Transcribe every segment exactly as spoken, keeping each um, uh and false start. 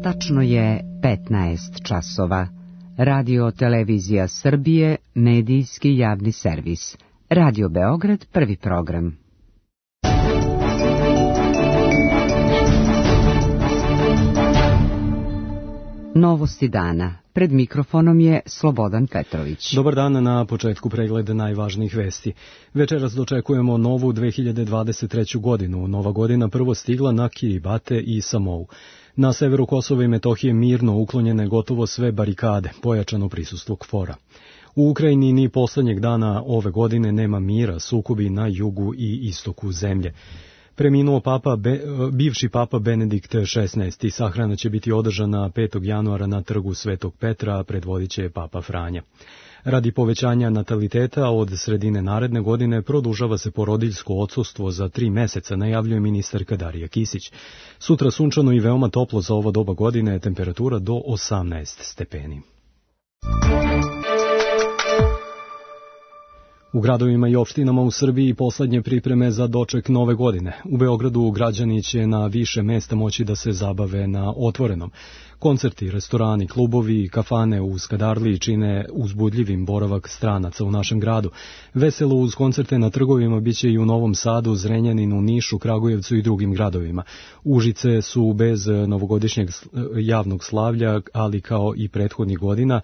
Tačno je petnaest časova. Radio Televizija Srbije, medijski javni servis. Radio Beograd, prvi program. Novosti dana. Pred mikrofonom je Slobodan Petrović. Dobar dan, na početku pregleda najvažnijih vesti. Večeras dočekujemo novu dve hiljade dvadeset treću godinu. Nova godina prvo stigla na Kiribati i Samou. Na severu Kosova i Metohije mirno uklonjene gotovo sve barikade, pojačano prisustvo KFOR-a. U Ukrajini ni poslednjeg dana ove godine nema mira, sukobi na jugu i istoku zemlje. Preminuo papa, be, bivši papa Benedikt šesnaesti. Sahrana će biti održana petog januara na trgu Svetog Petra, a predvodit će papa Franja. Radi povećanja nataliteta od sredine naredne godine produžava se porodiljsko odsustvo za tri meseca, najavljuje ministarka Darija Kisić. Sutra sunčano i veoma toplo za ovo doba godine, temperatura do osamnaest stepeni. U gradovima i opštinama u Srbiji poslednje pripreme za doček nove godine. U Beogradu građani će na više mesta moći da se zabave na otvorenom. Koncerti, restorani, klubovi i kafane u Skadarliji čine uzbudljivim boravak stranaca u našem gradu. Veselo uz koncerte na trgovima biće i u Novom Sadu, Zrenjaninu, Nišu, Kragujevcu i drugim gradovima. Užice su bez novogodišnjeg javnog slavlja, ali kao i prethodnih godina,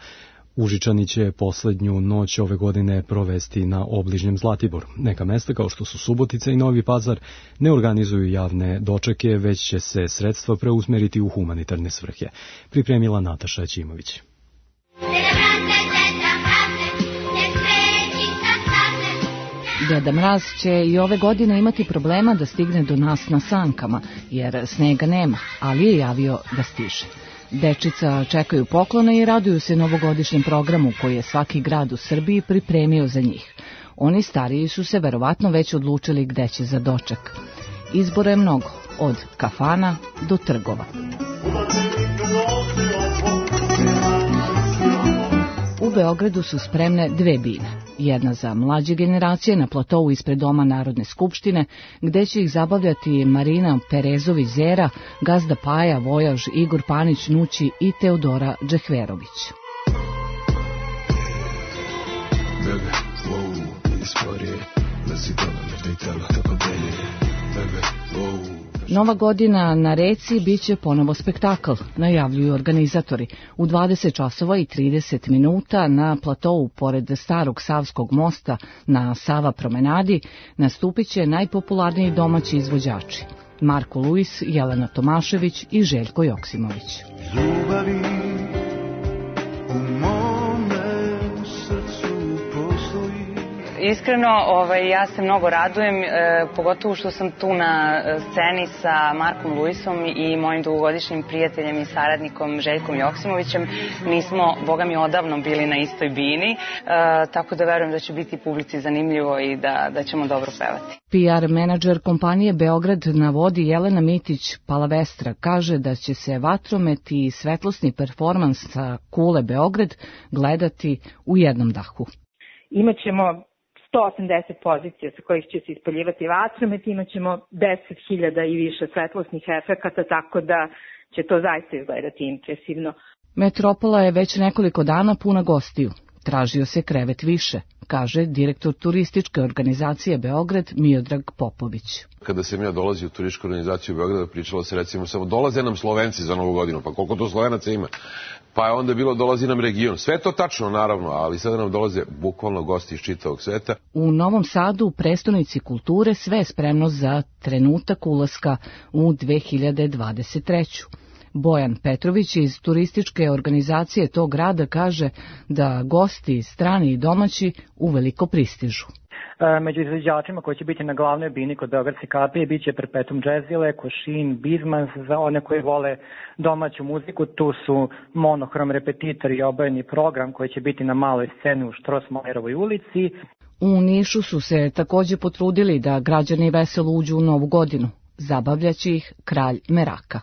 Užičani će poslednju noć ove godine provesti na obližnjem Zlatiboru. Neka mesta kao što su Subotica i Novi Pazar ne organizuju javne dočeke, već će se sredstva preusmeriti u humanitarne svrhe. Pripremila Nataša Ćimović. Deda Mraz će i ove godine imati problema da stigne do nas na sankama, jer snega nema, ali je javio da stiže. Dečica čekaju poklone i raduju se novogodišnjem programu koji je svaki grad u Srbiji pripremio za njih. Oni stariji su se verovatno već odlučili gde će za doček. Izbora je mnogo, od kafana do trgova. U Beogradu su spremne dve bine. Jedna za mlađe generacije na platovu ispred Doma Narodne skupštine, gde će ih zabavljati Marina Perezović-Zera, Gazda Paja, Vojaž, Igor Panić, Nući i Teodora Džehverović. Bebe, wow, istorije, Nova godina na reci biće ponovo spektakl, najavljuju organizatori. U dvadeset časova i trideset minuta na platovu pored starog Savskog mosta na Sava promenadi nastupit će najpopularniji domaći izvođači. Marko Luis, Jelena Tomašević i Željko Joksimović. Ljubavi u mome srcu postoji. Iskreno, ovaj, ja se mnogo radujem, e, pogotovo što sam tu na sceni sa Markom Luisom i mojim dugogodišnjim prijateljem i saradnikom Željkom Joksimovićem. Mi smo, boga mi, odavno bili na istoj bini, e, tako da verujem da će biti publici zanimljivo i da, da ćemo dobro pevati. P R menadžer kompanije Beograd na vodi Jelena Mitić-Palavestra kaže da će se vatromet i svetlosni performans sa Kule Beograd gledati u jednom dahu. Imaćemo sto osamdeset pozicija sa kojih će se ispaljivati vatromet, imat ćemo deset hiljada i više svetlosnih efekata, tako da će to zaista izgledati impresivno. Metropola je već nekoliko dana puna gostiju. Tražio se krevet više, kaže direktor turističke organizacije Beograd Miodrag Popović. Kada sam ja dolazio u turističku organizaciju Beograda, pričalo se recimo samo dolaze nam Slovenci za Novu godinu, pa koliko to Slovenaca ima? Pa je onda bilo dolazi nam region. Sve to tačno, naravno, ali sada nam dolaze bukvalno gosti iz čitavog sveta. U Novom Sadu, u prestonici kulture, sve je spremno za trenutak ulaska u dve hiljade dvadeset treću. Bojan Petrović iz turističke organizacije tog grada kaže da gosti, strani i domaći, uveliko pristižu. Među izvođačima koji će biti na glavnoj bini kod Beogradske kapije bit će Perpetuum Jazzile, Košin, Bizmans, za one koji vole domaću muziku. Tu su Monohrom Repetitor i obojeni program koji će biti na maloj sceni u Štrosmajerovoj ulici. U Nišu su se takođe potrudili da građani veselo uđu u Novu godinu. Zabavljaće ih Kralj Meraka.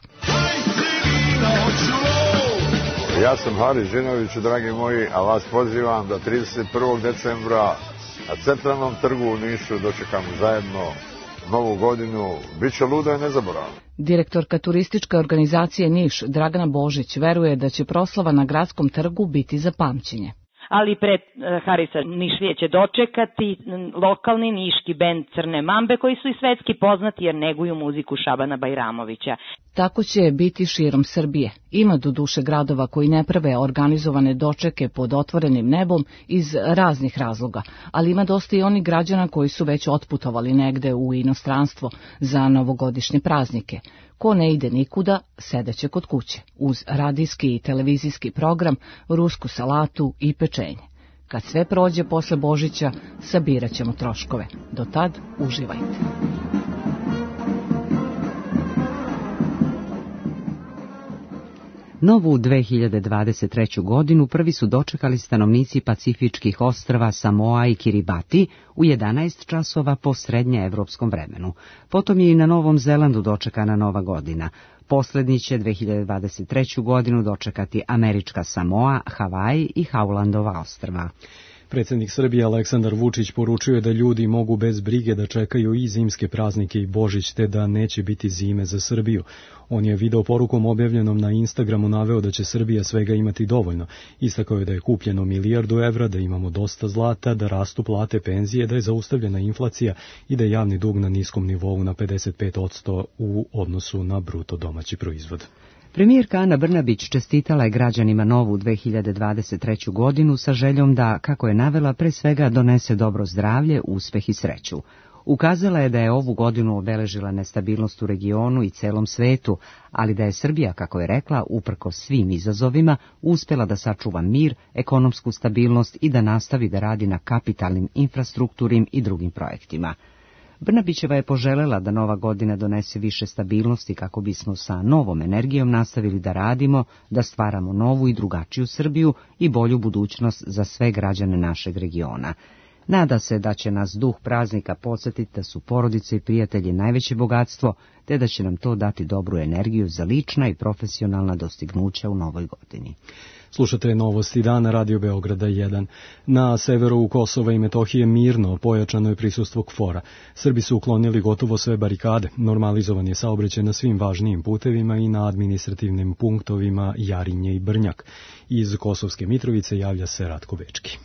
Ja sam Haris Žinović, dragi moji, a vas pozivam da trideset prvog decembra na Centralnom trgu u Nišu dočekamo zajedno novu godinu, bit će luda i nezaboravna. Direktorka turističke organizacije Niš, Dragana Božić, veruje da će proslava na gradskom trgu biti za pamćenje. Ali pred Harisa Nišlije će dočekati lokalni niški bend Crne Mambe, koji su i svetski poznati jer neguju muziku Šabana Bajramovića. Tako će biti širom Srbije. Ima do duše gradova koji ne prave organizovane dočeke pod otvorenim nebom iz raznih razloga, ali ima dosta i onih građana koji su već otputovali negde u inostranstvo za novogodišnje praznike. Ko ne ide nikuda, sedeće kod kuće, uz radijski i televizijski program, rusku salatu i pečenje. Kad sve prođe posle Božića, sabirat ćemo troškove. Do tad uživajte. Novu dve hiljade dvadeset treću. godinu prvi su dočekali stanovnici pacifičkih ostrva Samoa i Kiribati u jedanaest časova po srednjeevropskom vremenu. Potom je i na Novom Zelandu dočekana Nova godina. Poslednji će dve hiljade dvadeset treću. godinu dočekati američka Samoa, Havaji i Haulandova ostrva. Predsjednik Srbije Aleksandar Vučić poručio je da ljudi mogu bez brige da čekaju i zimske praznike i Božić, te da neće biti zime za Srbiju. On je video porukom objavljenom na Instagramu naveo da će Srbija svega imati dovoljno. Istakao je da je kupljeno milijardu evra, da imamo dosta zlata, da rastu plate, penzije, da je zaustavljena inflacija i da je javni dug na niskom nivou na pedeset pet posto u odnosu na bruto domaći proizvod. Premijerka Ana Brnabić čestitala je građanima novu dve hiljade dvadeset treću. godinu sa željom da, kako je navela, pre svega donese dobro zdravlje, uspeh i sreću. Ukazala je da je ovu godinu obeležila nestabilnost u regionu i celom svetu, ali da je Srbija, kako je rekla, uprkos svim izazovima, uspela da sačuva mir, ekonomsku stabilnost i da nastavi da radi na kapitalnim infrastrukturnim i drugim projektima. Brnabićeva je poželela da nova godina donese više stabilnosti kako bismo sa novom energijom nastavili da radimo, da stvaramo novu i drugačiju Srbiju i bolju budućnost za sve građane našeg regiona. Nada se da će nas duh praznika podsjetiti da su porodice i prijatelji najveće bogatstvo, te da će nam to dati dobru energiju za lična i profesionalna dostignuća u novoj godini. Slušate novosti dana Radio Beograda jedan. Na severu Kosova i Metohije mirno pojačano je prisustvo KFOR-a. Srbi su uklonili gotovo sve barikade. Normalizovan je saobraćaj na svim važnijim putevima i na administrativnim punktovima Jarinje i Brnjak. Iz Kosovske Mitrovice javlja se Ratko Bečki.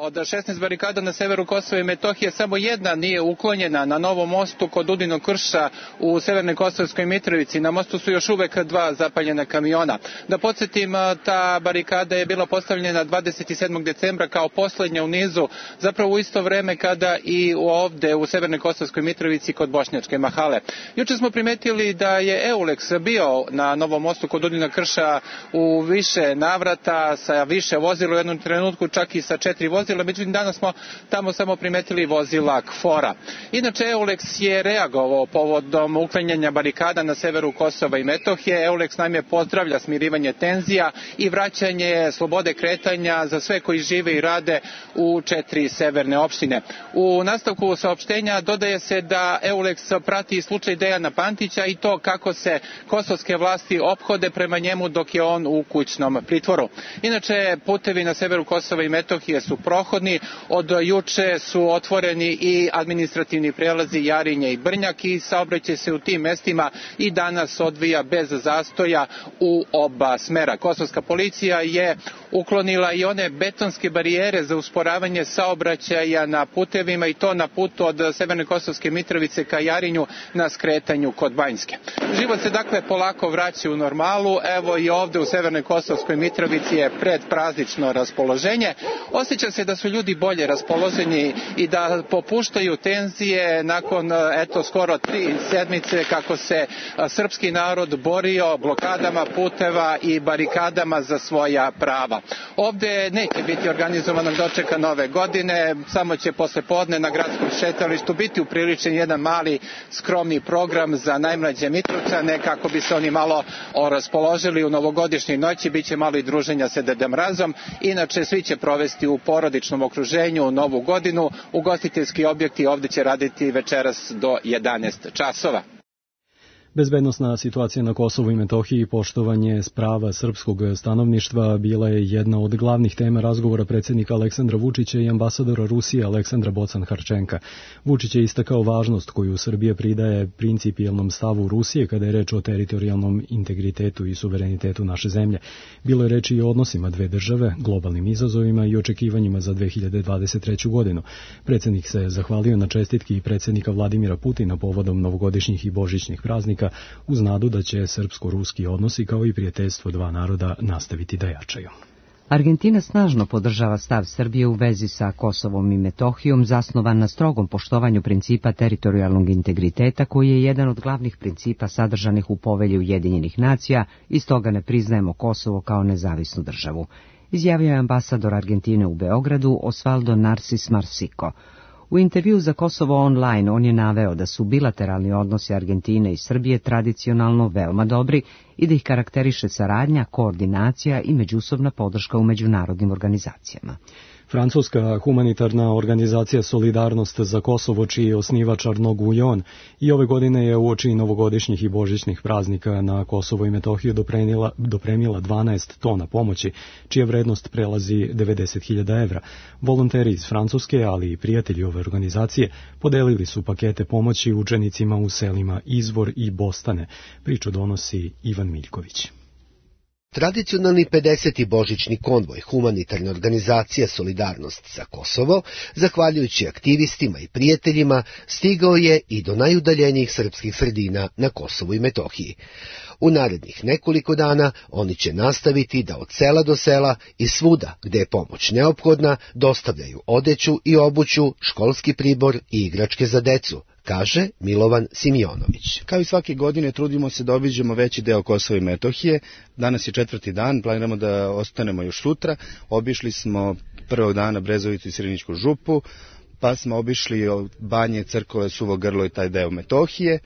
Od šesnaest barikada na severu Kosova i Metohije samo jedna nije uklonjena na Novom mostu kod Udinog krša u severnoj Kosovskoj Mitrovici. Na mostu su još uvek dva zapaljena kamiona. Da podsjetim, ta barikada je bila postavljena dvadeset sedmog decembra kao poslednja u nizu, zapravo u isto vreme kada i ovde u severnoj Kosovskoj Mitrovici kod Bošnjačke Mahale. Juče smo primetili da je Euleks bio na Novom mostu kod Udinog krša u više navrata, sa više vozila, u jednom trenutku čak i sa četiri vozila. Međutim, danas smo tamo samo primetili vozila KFOR-a. Inače, Euleks je reagovao povodom uklanjanja barikada na severu Kosova i Metohije. Euleks naime pozdravlja smirivanje tenzija i vraćanje slobode kretanja za sve koji žive i rade u četiri severne opštine. U nastavku saopštenja dodaje se da Euleks prati slučaj Dejana Pantića i to kako se kosovske vlasti ophode prema njemu dok je on u kućnom pritvoru. Inače, putevi na severu Kosova i Metohije su prohodni. Od juče su otvoreni i administrativni prelazi Jarinje i Brnjak i saobraćaj se u tim mestima i danas odvija bez zastoja u oba smera. Kosovska policija je uklonila i one betonske barijere za usporavanje saobraćaja na putevima i to na putu od severne Kosovske Mitrovice ka Jarinju na skretanju kod Banjske. Život se dakle polako vraća u normalu. Evo i ovde u severnoj Kosovskoj Mitrovici je predpraznično raspoloženje. Osjeća se da su ljudi bolje raspoloženi i da popuštaju tenzije nakon eto skoro tri sedmice kako se srpski narod borio blokadama puteva i barikadama za svoja prava. Ovde neće biti organizovanog dočeka nove godine, samo će posle podne na gradskom šetalištu biti upriličen jedan mali skromni program za najmlađe Mitrovčane kako bi se oni malo raspoložili u novogodišnjoj noći, bit će malo i druženja sa Deda Mrazom, inače svi će provesti u porodičnom okruženju u novu godinu, ugostiteljski objekti ovde će raditi večeras do jedanaest časova. Bezbednosna situacija na Kosovu i Metohiji i poštovanje prava srpskog stanovništva bila je jedna od glavnih tema razgovora predsjednika Aleksandra Vučića i ambasadora Rusije Aleksandra Bocan-Harčenka. Vučić je istakao važnost koju Srbija pridaje principijelnom stavu Rusije kada je reč o teritorijalnom integritetu i suverenitetu naše zemlje. Bilo je reči i o odnosima dve države, globalnim izazovima i očekivanjima za dve hiljade dvadeset treću godinu. Predsjednik se zahvalio na čestitki i predsjednika Vladimira Putina povodom novogodišnjih i božićnih praznika, uz nadu da će srpsko-ruski odnosi kao i prijateljstvo dva naroda nastaviti da jačaju. Argentina snažno podržava stav Srbije u vezi sa Kosovom i Metohijom, zasnovan na strogom poštovanju principa teritorijalnog integriteta, koji je jedan od glavnih principa sadržanih u Povelji Ujedinjenih nacija, i stoga ne priznajemo Kosovo kao nezavisnu državu, izjavio je ambasador Argentine u Beogradu Osvaldo Narcis Marsico. U intervju za Kosovo Online on je naveo da su bilateralni odnosi Argentine i Srbije tradicionalno veoma dobri i da ih karakteriše saradnja, koordinacija i međusobna podrška u međunarodnim organizacijama. Francuska humanitarna organizacija Solidarnost za Kosovo, čiji je osnivač Arnaud Guillon, i ove godine je uoči novogodišnjih i božićnih praznika na Kosovo i Metohiju dopremila, dopremila dvanaest tona pomoći, čija vrednost prelazi devedeset hiljada evra. Volonteri iz Francuske, ali i prijatelji ove organizacije, podelili su pakete pomoći učenicima u selima Izvor i Bostane. Priču donosi Ivan Miljković. Tradicionalni pedeseti božićni konvoj humanitarne organizacije Solidarnost za Kosovo, zahvaljujući aktivistima i prijateljima, stigao je i do najudaljenijih srpskih sredina na Kosovu i Metohiji. U narednih nekoliko dana oni će nastaviti da od sela do sela i svuda gde je pomoć neophodna dostavljaju odeću i obuću, školski pribor i igračke za decu, kaže Milovan Simjonović. Kao i svake godine trudimo se da obiđemo veći deo Kosova i Metohije. Danas je četvrti dan, planiramo da ostanemo još sutra. Obišli smo prvog dana Brezovicu i Sirinićku župu, pa smo obišli Banje, Crkove, Suvo Grlo i taj deo Metohije.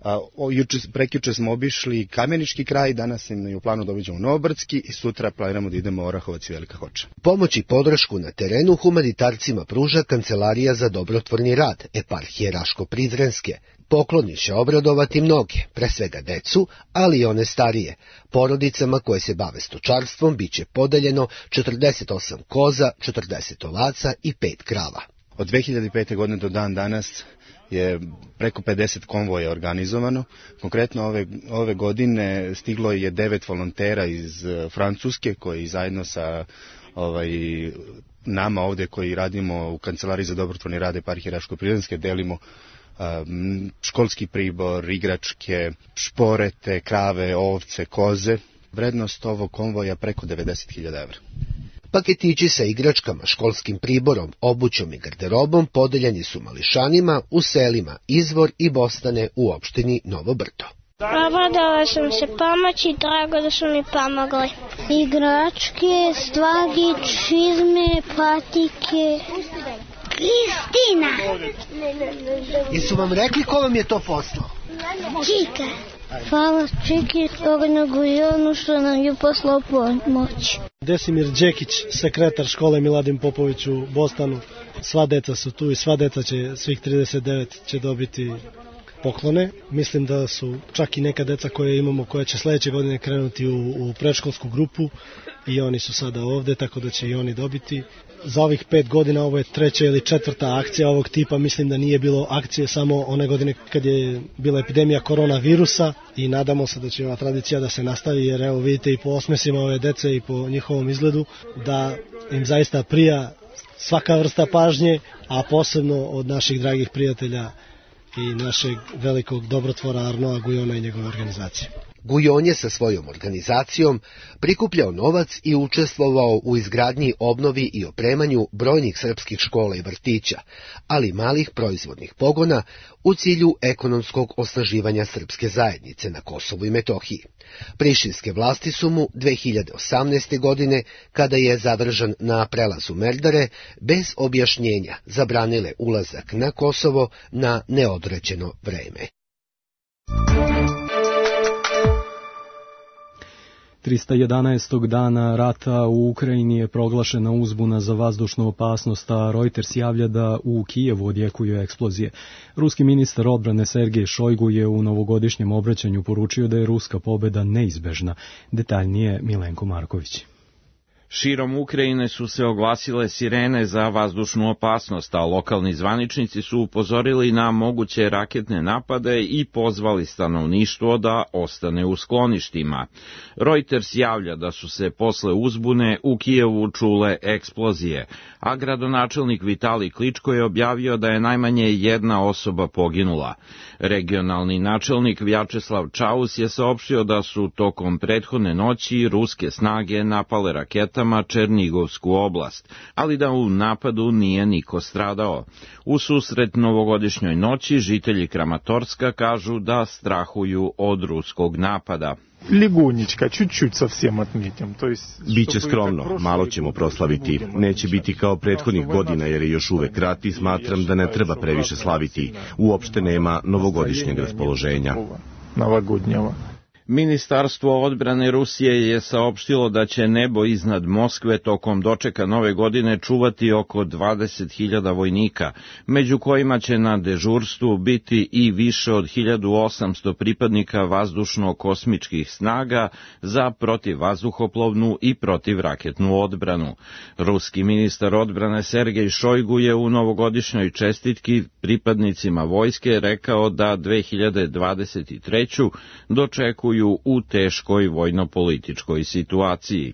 A, o, juče, prekjuče smo obišli Kamenički kraj, danas im je u planu da obiđemo Novobrdski i sutra planiramo da idemo Orahovac i Velika Hoča. Pomoć i podršku na terenu humanitarcima pruža Kancelarija za dobrotvorni rad Eparhije Raško-Prizrenske. Pokloni će obradovati mnoge, pre svega decu, ali i one starije. Porodicama koje se bave stočarstvom biće podeljeno četrdeset osam koza, četrdeset ovaca i pet krava. Od dve hiljade pete. godine do dan danas je preko pedeset konvoja organizovano. Konkretno ove, ove godine stiglo je devet volontera iz Francuske koji zajedno sa ovaj, nama ovde koji radimo u Kancelariji za dobrotvorni rad Eparhije Raško-Prizrenske delimo um, školski pribor, igračke, šporete, krave, ovce, koze. Vrednost ovog konvoja preko devedeset hiljada evra. Paketići sa igračkama, školskim priborom, obućom i garderobom podeljeni su mališanima u selima Izvor i Bostane u opštini Novo Brdo. Obradala sam se pomoći, drago da su mi pomogli. Igračke, stvari, čizme, patike. Kristina! Jesu vam rekli ko vam je to poslao? Čika. Hvala Čiki Ornogujonu što nam je poslao pomoć. Desimir Đekić, sekretar škole Miladin Popović u Bostanu. Sva deca su tu i sva deca će, svih trideset devet će dobiti poklone. Mislim da su čak i neka deca koje imamo koja će sledeće godine krenuti u, u predškolsku grupu i oni su sada ovde, tako da će i oni dobiti. Za ovih pet godina ovo je treća ili četvrta akcija ovog tipa, mislim da nije bilo akcije samo one godine kad je bila epidemija koronavirusa i nadamo se da će ova tradicija da se nastavi, jer evo vidite i po osmesima ove dece i po njihovom izgledu da im zaista prija svaka vrsta pažnje, a posebno od naših dragih prijatelja i našeg velikog dobrotvora Arnoa Gujona i njegove organizacije. Gujon je sa svojom organizacijom prikupljao novac i učestvovao u izgradnji, obnovi i opremanju brojnih srpskih škola i vrtića, ali malih proizvodnih pogona u cilju ekonomskog osnaživanja srpske zajednice na Kosovu i Metohiji. Prištinske vlasti su mu dve hiljade osamnaeste. godine, kada je zadržan na prelazu Merdare, bez objašnjenja zabranile ulazak na Kosovo na neodređeno vreme. trista jedanaestog dana rata u Ukrajini je proglašena uzbuna za vazdušnu opasnost, a Reuters javlja da u Kijevu odjekuju eksplozije. Ruski ministar odbrane Sergej Šojgu je u novogodišnjem obraćanju poručio da je ruska pobjeda neizbežna. Detaljnije Milenko Marković. Širom Ukrajine su se oglasile sirene za vazdušnu opasnost, a lokalni zvaničnici su upozorili na moguće raketne napade i pozvali stanovništvo da ostane u skloništima. Reuters javlja da su se posle uzbune u Kijevu čule eksplozije, a gradonačelnik Vitalij Kličko je objavio da je najmanje jedna osoba poginula. Regionalni načelnik Vjačeslav Čaus je saopštio da su tokom prethodne noći ruske snage napale raketama Černigovsku oblast, ali da u napadu nije niko stradao. U susret novogodišnjoj noći žitelji Kramatorska kažu da strahuju od ruskog napada. Ljegunjička, čuć-čuć savsem otmetim. Biće skromno, malo ćemo proslaviti. Neće biti kao prethodnih godina jer je još uvek rat i smatram da ne treba previše slaviti. Uopšte nema novogodišnjeg raspoloženja. Novogodnjeva. Ministarstvo odbrane Rusije je saopštilo da će nebo iznad Moskve tokom dočeka nove godine čuvati oko dvadeset hiljada vojnika, među kojima će na dežurstvu biti i više od hiljadu osamsto pripadnika vazdušno-kosmičkih snaga za protivvazduhoplovnu i protivraketnu odbranu. Ruski ministar odbrane Sergej Šojgu je u novogodišnjoj čestitki pripadnicima vojske rekao da dve hiljade dvadeset treću dočekuju u teškoj vojno-političkoj situaciji.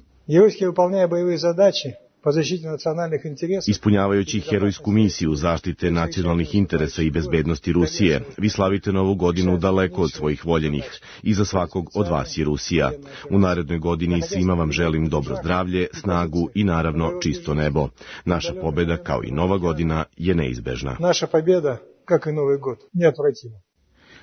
Ispunjavajući herojsku misiju zaštite nacionalnih interesa i bezbednosti Rusije, vi slavite novu godinu daleko od svojih voljenih. Iza svakog od vas je Rusija. U narednoj godini svima vam želim dobro zdravlje, snagu i naravno čisto nebo. Naša pobjeda, kao i nova godina, je neizbežna. Naša pobjeda, kao i novi god, neotvrativo.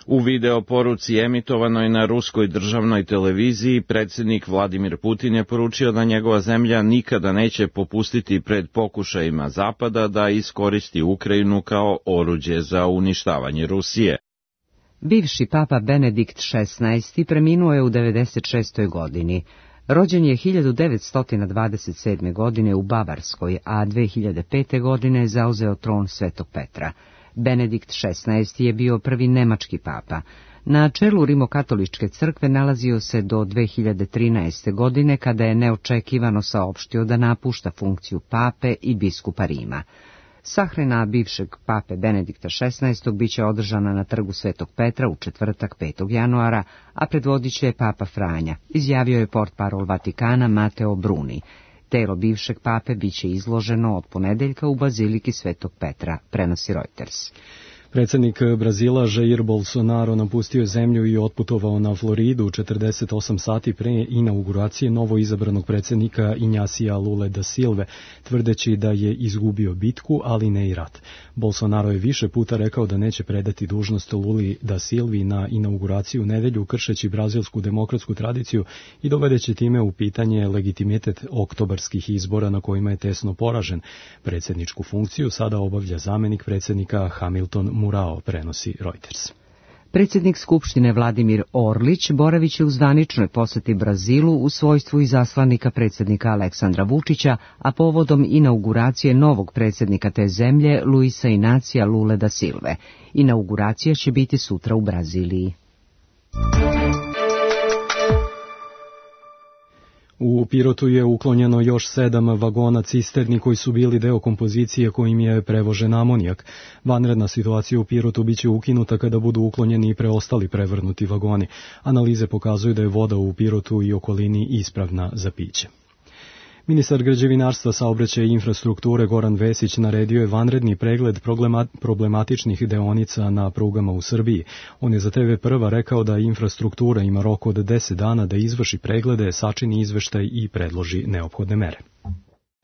U video poruci emitovanoj na ruskoj državnoj televiziji, predsjednik Vladimir Putin je poručio da njegova zemlja nikada neće popustiti pred pokušajima Zapada da iskoristi Ukrajinu kao oruđe za uništavanje Rusije. Bivši papa Benedikt šesnaesti preminuo je u devedeset šestoj godini. Rođen je hiljadu devetsto dvadeset sedme. godine u Bavarskoj, a dve hiljade pete. godine zauzeo tron Svetog Petra. Benedikt šesnaesti. je bio prvi nemački papa. Na čelu Rimokatoličke crkve nalazio se do dve hiljade trinaeste. godine, kada je neočekivano saopštio da napušta funkciju pape i biskupa Rima. Sahrana bivšeg pape Benedikta šesnaestog. biće održana na trgu Svetog Petra u četvrtak petog januara, a predvodit će papa Franja, izjavio je portparol Vatikana Mateo Bruni. Telo bivšeg pape biće izloženo od ponedeljka u baziliki Svetog Petra, prenosi Reuters. Predsjednik Brazila Jair Bolsonaro napustio je zemlju i otputovao na Floridu četrdeset osam sati pre inauguracije novo izabranog predsjednika Inhacija Lule da Silve, tvrdeći da je izgubio bitku, ali ne i rat. Bolsonaro je više puta rekao da neće predati dužnost Luli da Silvi na inauguraciju u nedjelju, kršeći brazilsku demokratsku tradiciju i dovedeći time u pitanje legitimitet oktobarskih izbora na kojima je tesno poražen. Predsjedničku funkciju sada obavlja zamjenik predsjednika Hamilton Murao, prenosi Reuters. Predsjednik Skupštine Vladimir Orlić boravit će u zvaničnoj posjeti Brazilu u svojstvu izaslanika predsjednika Aleksandra Vučića, a povodom inauguracije novog predsjednika te zemlje, Luisa Inacija Lule da Silve. Inauguracija će biti sutra u Braziliji. U Pirotu je uklonjeno još sedam vagona cisterni koji su bili deo kompozicije kojim je prevožen amonijak. Vanredna situacija u Pirotu biće ukinuta kada budu uklonjeni i preostali prevrnuti vagoni. Analize pokazuju da je voda u Pirotu i okolini ispravna za piće. Ministar građevinarstva, saobraćaja i infrastrukture Goran Vesić naredio je vanredni pregled problematičnih deonica na prugama u Srbiji. On je za te ve Prva rekao da infrastruktura ima rok od deset dana da izvrši preglede, sačini izveštaj i predloži neophodne mere.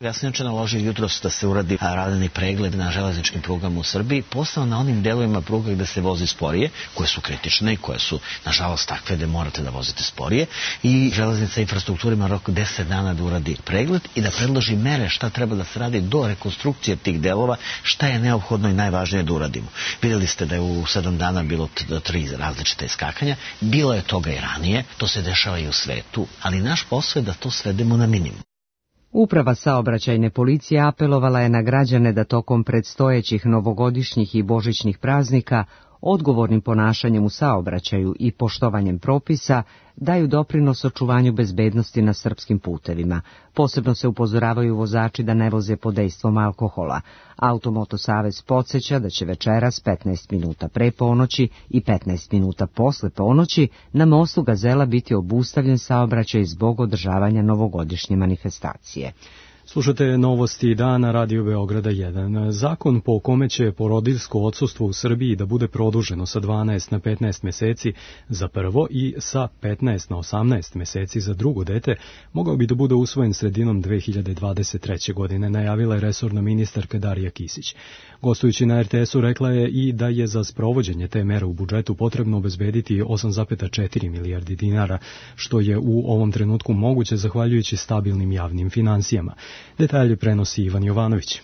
Ja sam inače naložio jutros da se uradi radni pregled na železničkim prugama u Srbiji, posebno na onim delovima pruga gde se vozi sporije, koje su kritične i koje su, nažalost, takve da morate da vozite sporije, i železnica infrastruktura ima rok deset dana da uradi pregled i da predloži mere šta treba da se radi do rekonstrukcije tih delova, šta je neophodno i najvažnije da uradimo. Videli ste da je u sedam dana bilo tri različite iskakanja, bilo je toga i ranije, to se dešava i u svetu, ali naš posao je da to svedemo na minimum. Uprava saobraćajne policije apelovala je na građane da tokom predstojećih novogodišnjih i božićnih praznika odgovornim ponašanjem u saobraćaju i poštovanjem propisa daju doprinos očuvanju bezbednosti na srpskim putevima. Posebno se upozoravaju vozači da ne voze pod dejstvom alkohola. Automoto savez podsjeća da će večeras petnaest minuta pre ponoći i petnaest minuta posle ponoći na mostu Gazela biti obustavljen saobraćaj zbog održavanja novogodišnje manifestacije. Slušate novosti dana Radio Beograda jedan. Zakon po kome će porodiljsko odsustvo u Srbiji da bude produženo sa dvanaest na petnaest meseci za prvo i sa petnaest na osamnaest meseci za drugo dete mogao bi da bude usvojen sredinom dve hiljade dvadeset treće. godine, najavila je resorna ministarka Darija Kisić. Gostujući na er te esu rekla je i da je za sprovođenje te mere u budžetu potrebno obezbediti osam zarez četiri milijardi dinara, što je u ovom trenutku moguće zahvaljujući stabilnim javnim finansijama. Detalje prenosi Ivan Jovanović.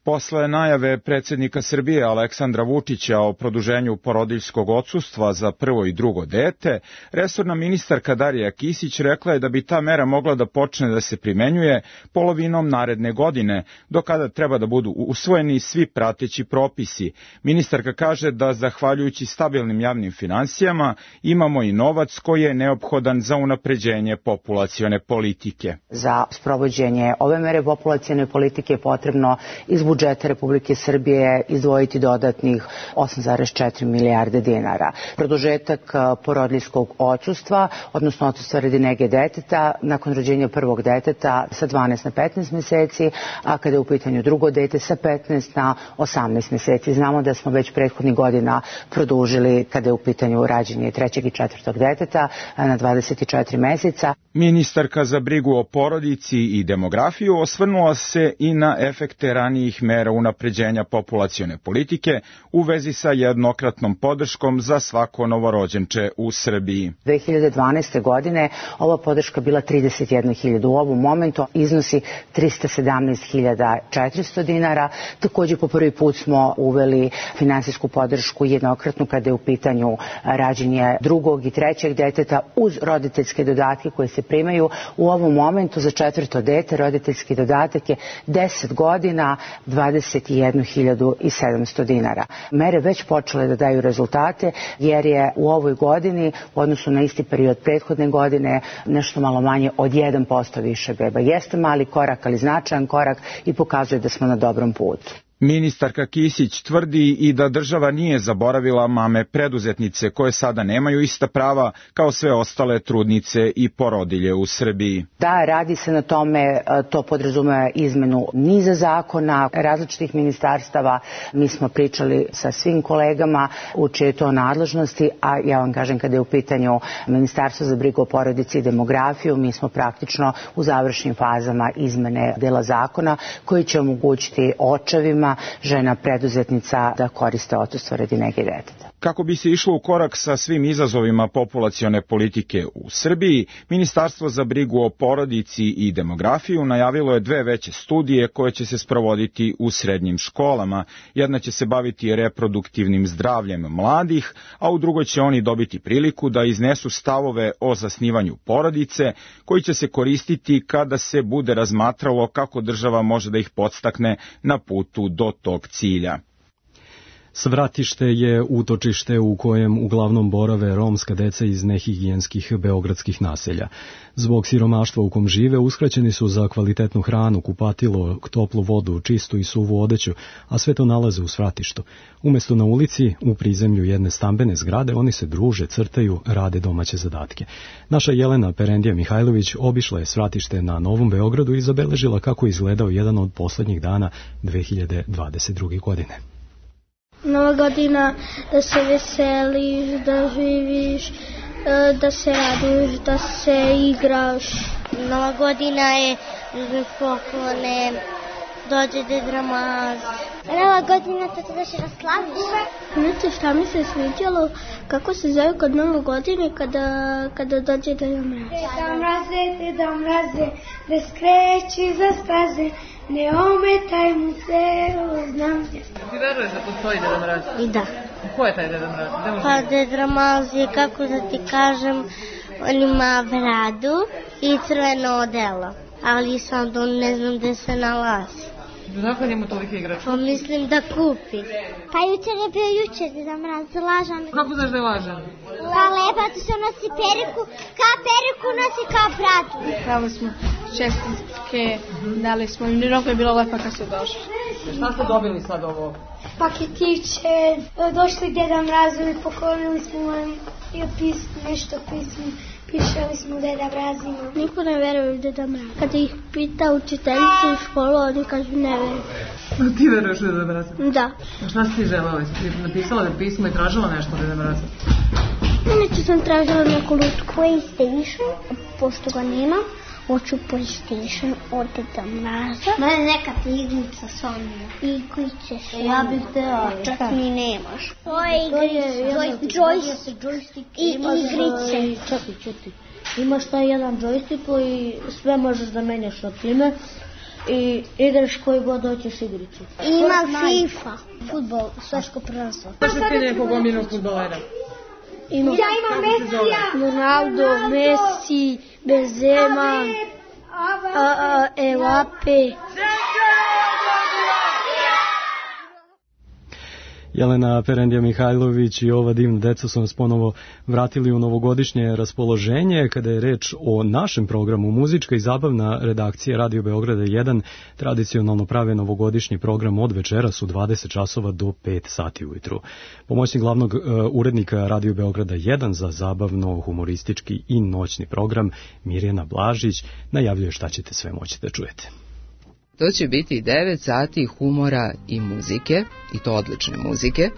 Posle najave predsjednika Srbije Aleksandra Vučića o produženju porodiljskog odsustva za prvo i drugo dete, resorna ministarka Darija Kisić rekla je da bi ta mera mogla da počne da se primenjuje polovinom naredne godine, do kada treba da budu usvojeni svi prateći propisi. Ministarka kaže da zahvaljujući stabilnim javnim finansijama imamo i novac koji je neophodan za unapređenje populacione politike. Za sprovođenje ove mere populacione politike je potrebno iz budžeta Republike Srbije izdvojiti dodatnih osam zarez četiri milijarde dinara. Produžetak porodiljskog odsustva, odnosno odsustva radi nege deteta, nakon rođenja prvog deteta sa dvanaest na petnaest meseci, a kada je u pitanju drugo dete sa petnaest na osamnaest meseci. Znamo da smo već prethodnih godina produžili kada je u pitanju rađenje trećeg i četvrtog deteta na dvadeset četiri meseca. Ministarka za brigu o porodici i demografiju osvrnula se i na efekte ranijih mera unapređenja populacione politike u vezi sa jednokratnom podrškom za svako novorođenče u Srbiji. dve hiljade dvanaeste. godine ova podrška bila trideset jedna hiljada, u ovom momentu iznosi trista sedamnaest hiljada četiristo dinara. Također po prvi put smo uveli finansijsku podršku jednokratnu kada je u pitanju rađenje drugog i trećeg deteta uz roditeljske dodatke koje se primaju. U ovom momentu za četvrto dete roditeljski dodatak je deset godina, dvadeset jednu hiljadu sedamsto dinara. Mere već počele da daju rezultate jer je u ovoj godini u odnosu na isti period prethodne godine nešto malo manje od jedan posto više beba. Jeste mali korak, ali značajan korak i pokazuje da smo na dobrom putu. Ministarka Kisić tvrdi i da država nije zaboravila mame preduzetnice koje sada nemaju ista prava kao sve ostale trudnice i porodilje u Srbiji. Da, radi se na tome, to podrazumeva izmenu niza zakona, različitih ministarstava. Mi smo pričali sa svim kolegama u čije to nadležnosti, a ja vam kažem kada je u pitanju Ministarstvo za brigu o porodici i demografiju, mi smo praktično u završnim fazama izmene dela zakona koji će omogućiti očevima žena preduzetnica da koriste odsustvo radi nege deteta. Kako bi se išlo u korak sa svim izazovima populacione politike u Srbiji, Ministarstvo za brigu o porodici i demografiju najavilo je dve veće studije koje će se sprovoditi u srednjim školama. Jedna će se baviti reproduktivnim zdravljem mladih, a u drugoj će oni dobiti priliku da iznesu stavove o zasnivanju porodice, koji će se koristiti kada se bude razmatralo kako država može da ih podstakne na putu do tog cilja. Svratište je utočište u kojem uglavnom borave romska deca iz nehigijenskih beogradskih naselja. Zbog siromaštva u kom žive uskraćeni su za kvalitetnu hranu, kupatilo, toplu vodu, čistu i suvu odeću, a sve to nalaze u svratištu. Umesto na ulici, u prizemlju jedne stambene zgrade, oni se druže, crtaju, rade domaće zadatke. Naša Jelena Perendija Mihajlović obišla je svratište na Novom Beogradu i zabeležila kako je izgledao jedan od poslednjih dana dve hiljade dvadeset druge. godine. Nova godina, da se veseliš, da živiš, da se raduješ, da se igraš Nova godina je poklone, dođe Deda Mraz. Nova godina to da se raslaviš. Znate šta mi se sviđalo, kako se zove kod Nove godine kada, kada dođe Deda Mraz. Deda Mraze, Deda Mraze, da skreći za staze, ne ometaj mu se, znam gdje. Ti veruješ da postoji Deda Mraz? I da. Ko je taj Deda Mraz? Pa Deda Mraz je, kako da ti kažem, on ima bradu i crveno odelo, ali sam da ne znam gde se nalazi. Zakon njemu tolike igračke? Pa mislim da kupi. Pa jučer je bio jučer Deda Mraz, lažan. Kako znaš da je lažan? Pa lepa, tu se nosi periku, kao periku nosi kao bradu. Pravo smo čestitke, dali smo im, mnogo je bilo lepa kad su došli. Šta ste dobili sad ovo? Paketiće, došli Deda Mrazovi, poklonili smo i pismo, nešto pismo. Pišali smo Deda Mrazima. Niko ne veruje u Deda Mraz. Kada ih pita učiteljica u školu, oni kažu ne veruje. No, ti veruješ u Deda Mraza? Da. A šta si ti želala? Ti napisala da pismo i tražila nešto od Deda Mraza? Neću sam tražila neku lutku. PlayStation, pošto ga nema, hoću PlayStation od Deda Mraza. Mene neka ti igrica Sonja. Igrice Sonja. Ja bih htjela. Čak ni nemaš. To je joystick i igrice. Čekaj, čekaj. Imaš taj jedan joystick koji sve možeš da menjaš na time i igraš koji god hoćeš igricu. Ima FIFA, fudbal, svetsko prvenstvo. Znaš li ti nekog omiljenog fudbalera? Ima. Ja imam Mesija. Ronaldo, Messi, Benzema, Mbappe. Jelena Perendija Mihajlović i ova divna deca su nas ponovo vratili u novogodišnje raspoloženje. Kada je reč o našem programu, muzička i zabavna redakcija Radio Beograda jedan tradicionalno prave novogodišnji program od večeras u dvadeset časova do pet sati ujutru. Pomoćnik glavnog uh, urednika Radio Beograda jedan za zabavno, humoristički i noćni program Mirjana Blažić najavljuje šta ćete sve moći da čujete. To će biti devet sati humora i muzike, i to odlične muzike.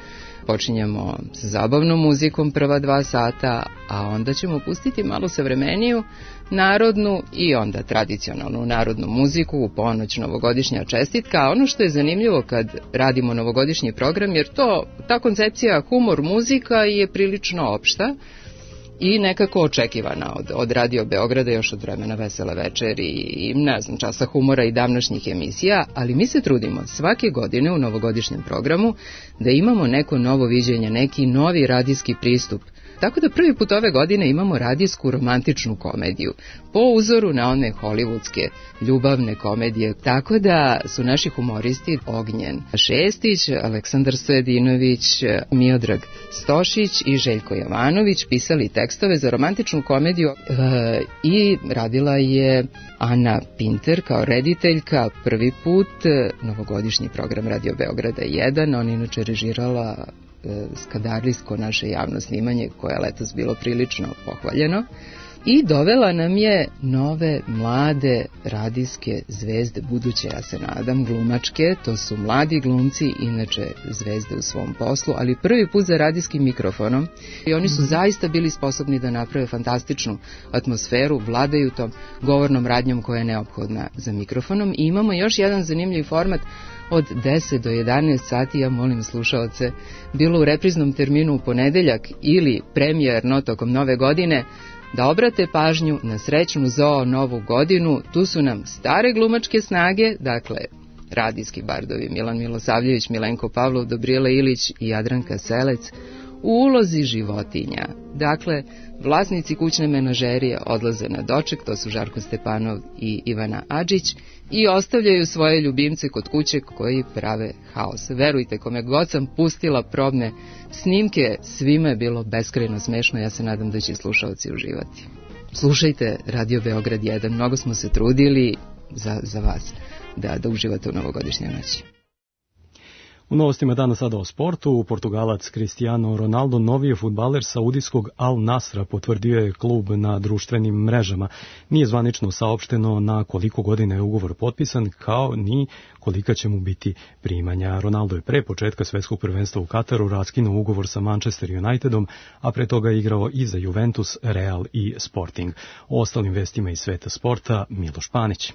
Počinjemo sa zabavnom muzikom prva dva sata, a onda ćemo pustiti malo savremeniju, narodnu i onda tradicionalnu narodnu muziku u ponoć novogodišnja čestitka. A ono što je zanimljivo kad radimo novogodišnji program, jer to, ta koncepcija humor muzika je prilično opšta i nekako očekivana od, od Radio Beograda još od vremena Vesele večeri i ne znam, Časa humora i davnašnjih emisija, ali mi se trudimo svake godine u novogodišnjem programu da imamo neko novo viđenje, neki novi radijski pristup. Tako da prvi put ove godine imamo radijsku romantičnu komediju, po uzoru na one hollywoodske ljubavne komedije. Tako da su naši humoristi Ognjen Šestić, Aleksandar Stojadinović, Miodrag Stošić i Željko Jovanović pisali tekstove za romantičnu komediju e, i radila je Ana Pinter kao rediteljka. Prvi put novogodišnji program Radio Beograda jedan, ona inače režirala skadarijsko naše javno snimanje koje je letos bilo prilično pohvaljeno i dovela nam je nove mlade radijske zvezde, buduće, ja se nadam, glumačke. To su mladi glumci, inače zvezde u svom poslu, ali prvi put za radijskim mikrofonom i oni su zaista bili sposobni da naprave fantastičnu atmosferu, vladaju tom govornom radnjom koja je neophodna za mikrofonom. I imamo još jedan zanimljiv format od deset do jedanaest sati, ja molim slušaoce, bilo u repriznom terminu u ponedeljak ili premijerno tokom nove godine, da obrate pažnju na srećnu zoo novu godinu. Tu su nam stare glumačke snage, dakle radijski bardovi Milan Milosavljević, Milenko Pavlov, Dobrijela Ilić i Jadranka Selec u ulozi životinja. Dakle, vlasnici kućne menažerije odlaze na doček, to su Žarko Stepanov i Ivana Adžić, i ostavljaju svoje ljubimce kod kuće koji prave haos. Verujte, kome god sam pustila probne snimke, svima je bilo beskrajno smešno, ja se nadam da će slušalci uživati. Slušajte Radio Beograd jedan, mnogo smo se trudili za, za vas da, da uživate u novogodišnjoj noći. U novostima dana sada o sportu, Portugalac Cristiano Ronaldo, novi je fudbaler saudijskog Al Nasra, potvrdio je klub na društvenim mrežama. Nije zvanično saopšteno na koliko godina je ugovor potpisan, kao ni kolika će mu biti primanja. Ronaldo je pre početka svetskog prvenstva u Kataru raskinuo ugovor sa Manchester Unitedom, a pre toga je igrao i za Juventus, Real i Sporting. O ostalim vestima iz sveta sporta, Miloš Panić.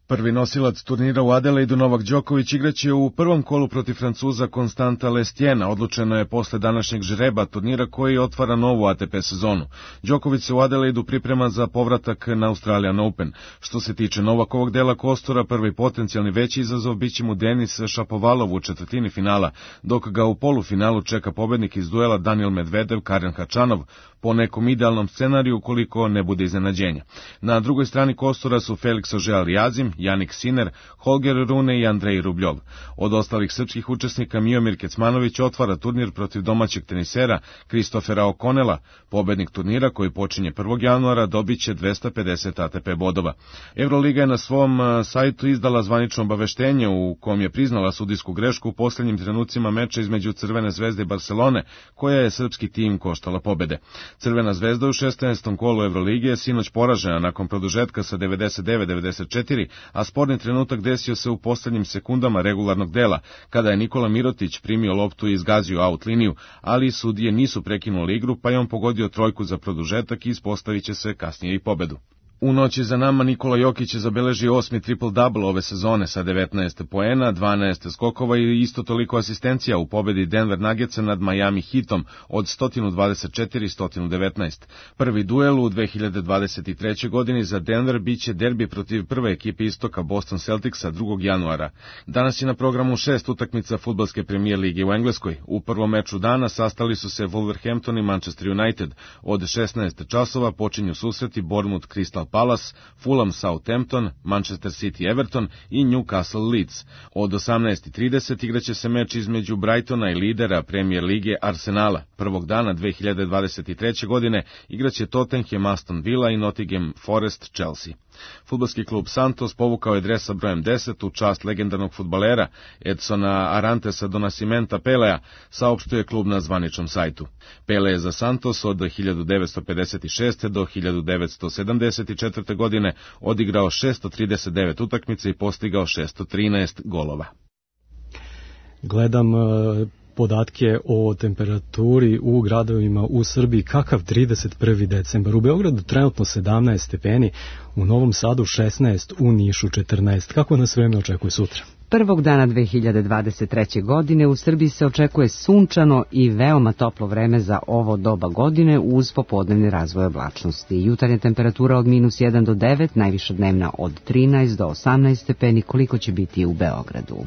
Prvi nosilac turnira u Adelaidu, Novak Đoković, igraće u prvom kolu protiv Francuza Konstanta Lestijena. Odlučeno je posle današnjeg žreba turnira koji otvara novu A T P sezonu. Đoković se u Adelaidu priprema za povratak na Australian Open. Što se tiče Novakovog dela kostura, prvi potencijalni veći izazov biće mu Denis Šapovalov u četvrtini finala, dok ga u polufinalu čeka pobednik iz duela Daniil Medvedev, Karen Hačanov, po nekom idealnom scenariju koliko ne bude iznenađenja. Na drugoj strani kostura su Felix Auger-Aliassime, Jannik Sinner, Holger Rune i Andrej Rubljov. Od ostalih srpskih učesnika Miomir Kecmanović otvara turnir protiv domaćeg tenisera Kristofera Okonela. Pobednik turnira koji počinje prvog januara dobiće dvesta pedeset A T P bodova. Euroliga je na svom sajtu izdala zvanično obaveštenje u kom je priznala sudijsku grešku u posljednjim trenucima meča između Crvene zvezde i Barcelone, koja je srpski tim koštala pobede. Crvena zvezda u šesnaestom kolu Evrolige je sinoć poražena nakon produžetka sa devedeset devet devedeset četiri, a sporni trenutak desio se u poslednjim sekundama regularnog dela, kada je Nikola Mirotić primio loptu i izgazio out liniju, ali sudije nisu prekinuli igru, pa je on pogodio trojku za produžetak i ispostavit će se kasnije i pobedu. U noći za nama Nikola Jokić je zabeležio osmi triple-double ove sezone sa devetnaest poena, dvanaest skokova i isto toliko asistencija u pobedi Denver Nuggetsa nad Miami Heatom od sto dvadeset četiri sto devetnaest. Prvi duel u dve hiljade dvadeset trećoj. godini za Denver biće derbi protiv prve ekipe istoka Boston Celticsa drugog januara. Danas je na programu šest utakmica fudbalske premijer lige u Engleskoj. U prvom meču dana sastali su se Wolverhampton i Manchester United. Od šesnaest časova počinju susreti Bournemouth Crystal Palace, Fulham Southampton, Manchester City Everton i Newcastle Leeds. Od osamnaest i trideset igraće se meč između Brightona i lidera Premier lige Arsenala. Prvog dana dve hiljade dvadeset treće. godine igraće Tottenham Aston Villa i Nottingham Forest Chelsea. Fudbalski klub Santos povukao je dres sa brojem deset u čast legendarnog fudbalera Edsona Arantesa do Nascimenta Pelea, saopštuje klub na zvaničnom sajtu. Pele je za Santos od hiljadu devetsto pedeset šeste. do hiljadu devetsto sedamdeset četvrte. godine odigrao šesto trideset devet utakmica i postigao šesto trinaest golova. Gledam uh... podatke o temperaturi u gradovima u Srbiji. Kakav trideset prvi decembar? U Beogradu trenutno sedamnaest stepeni, u Novom Sadu šesnaest, u Nišu četrnaest. Kako nas vreme očekuje sutra? Prvog dana dve hiljade dvadeset treće. godine u Srbiji se očekuje sunčano i veoma toplo vreme za ovo doba godine uz popodnevni razvoj oblačnosti. Jutarnja temperatura od minus jedan do devet, najviša dnevna od trinaest do osamnaest stepeni, koliko će biti u Beogradu.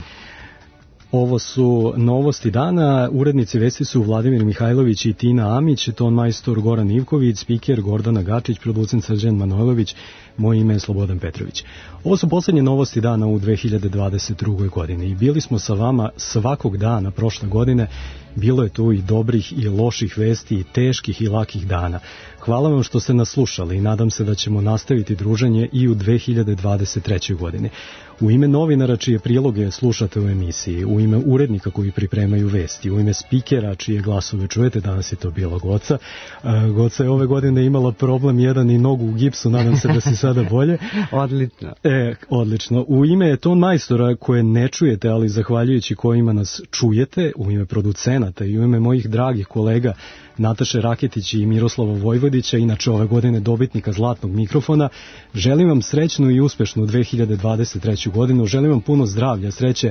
Ovo su novosti dana. Urednici vesti su Vladimir Mihajlović i Tina Amić, ton majstor Goran Ivković, spiker Gordana Gačić, producent Srđan Manojlović, moje ime je Slobodan Petrović. Ovo su poslednje novosti dana u dve hiljade dvadeset druge. godini i bili smo sa vama svakog dana prošle godine. Bilo je tu i dobrih i loših vesti, i teških i lakih dana. Hvala vam što ste nas slušali i nadam se da ćemo nastaviti druženje i u dve hiljade dvadeset trećoj. godini. U ime novinara čije priloge slušate u emisiji, u ime urednika koji pripremaju vesti, u ime spikera čije glasove čujete, danas je to bila Goca. Goca je ove godine imala problem jedan i nogu u gipsu, nadam se da si sada bolje. Odlično. E, odlično. U ime ton majstora koje ne čujete, ali zahvaljujući kojima nas čujete, u ime producenata i u ime mojih dragih kolega Nataše Raketić i Miroslava Vojvodića, inače ove godine dobitnika zlatnog mikrofona, želim vam srećnu i uspešnu dve hiljade dvadeset treću. godinu, želim vam puno zdravlja, sreće,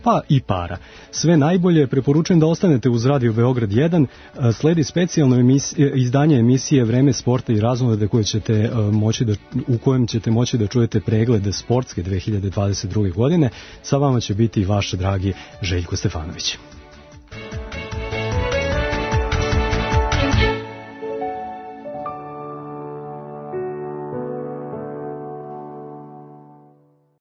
pa i para. Sve najbolje, preporučujem da ostanete uz Radio Beograd jedan, sledi specijalno emisije, izdanje emisije Vreme sporta i raznolade koje ćete moći da, u kojem ćete moći da čujete pregled sportske dve hiljade dvadeset druge. godine. Sa vama će biti vaš dragi Željko Stefanović.